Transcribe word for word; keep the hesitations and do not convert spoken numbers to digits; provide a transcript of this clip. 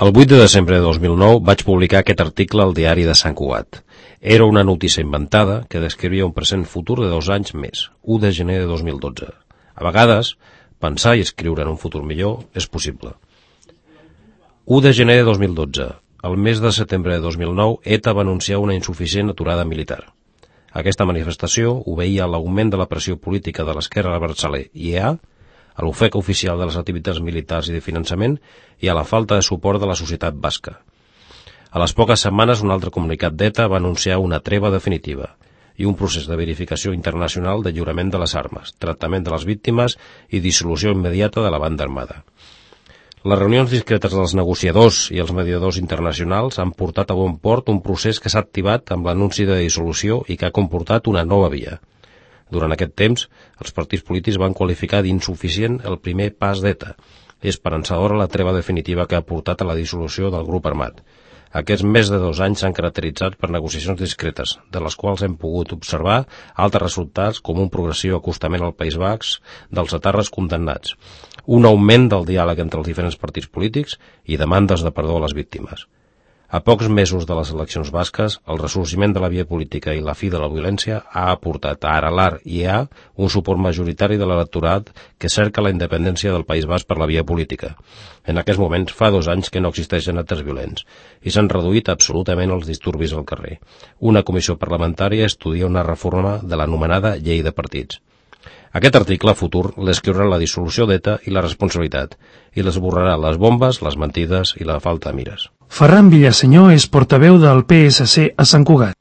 El vuit de desembre de dos mil nou vaig publicar aquest article al diari de Sant Cugat. Era una notícia inventada que descrivia un present futur de dos anys més, u de gener de dos mil dotze. A vegades, pensar i escriure en un futur millor és possible. u de gener de dos mil dotze. El mes de setembre de dos mil nou, ETA va anunciar una insuficient aturada militar. Aquesta manifestació obeïa a l'augment de la pressió política de l'esquerra abertzale i E A, a l'ofec oficial de les activitats militars i de finançament i a la falta de suport de la societat basca. A les poques setmanes, un altre comunicat d'ETA va anunciar una treva definitiva i un procés de verificació internacional de lliurament de les armes, tractament de les víctimes i dissolució immediata de la banda armada. Les reunions discretes dels negociadors i els mediadors internacionals han portat a bon port un procés que s'ha activat amb l'anunci de dissolució i que ha comportat una nova via. Durant aquest temps, els partits polítics van qualificar d'insuficient el primer pas d'ETA i esperançadora la treva definitiva que ha portat a la dissolució del grup armat. Aquests més de dos anys s'han caracteritzat per negociacions discretes, de les quals hem pogut observar altres resultats com un progressiu acostament al País Basc dels etarres condemnats, un augment del diàleg entre els diferents partits polítics i demandes de perdó a les víctimes. A pocs mesos de les eleccions basques, el ressorgiment de la via política i la fi de la violència ha aportat a Aralar i E A un suport majoritari de l'electorat que cerca la independència del País Basc per la via política. En aquests moments fa dos anys que no existeixen actes violents i s'han reduït absolutament els disturbis al carrer. Una comissió parlamentària estudia una reforma de l'anomenada llei de partits. Aquest article futur l'escriurà la dissolució d'ETA i la responsabilitat, i l'esborrarà les bombes, les mentides i la falta de mires. Ferran Villasenyor és portaveu del P S C a Sant Cugat.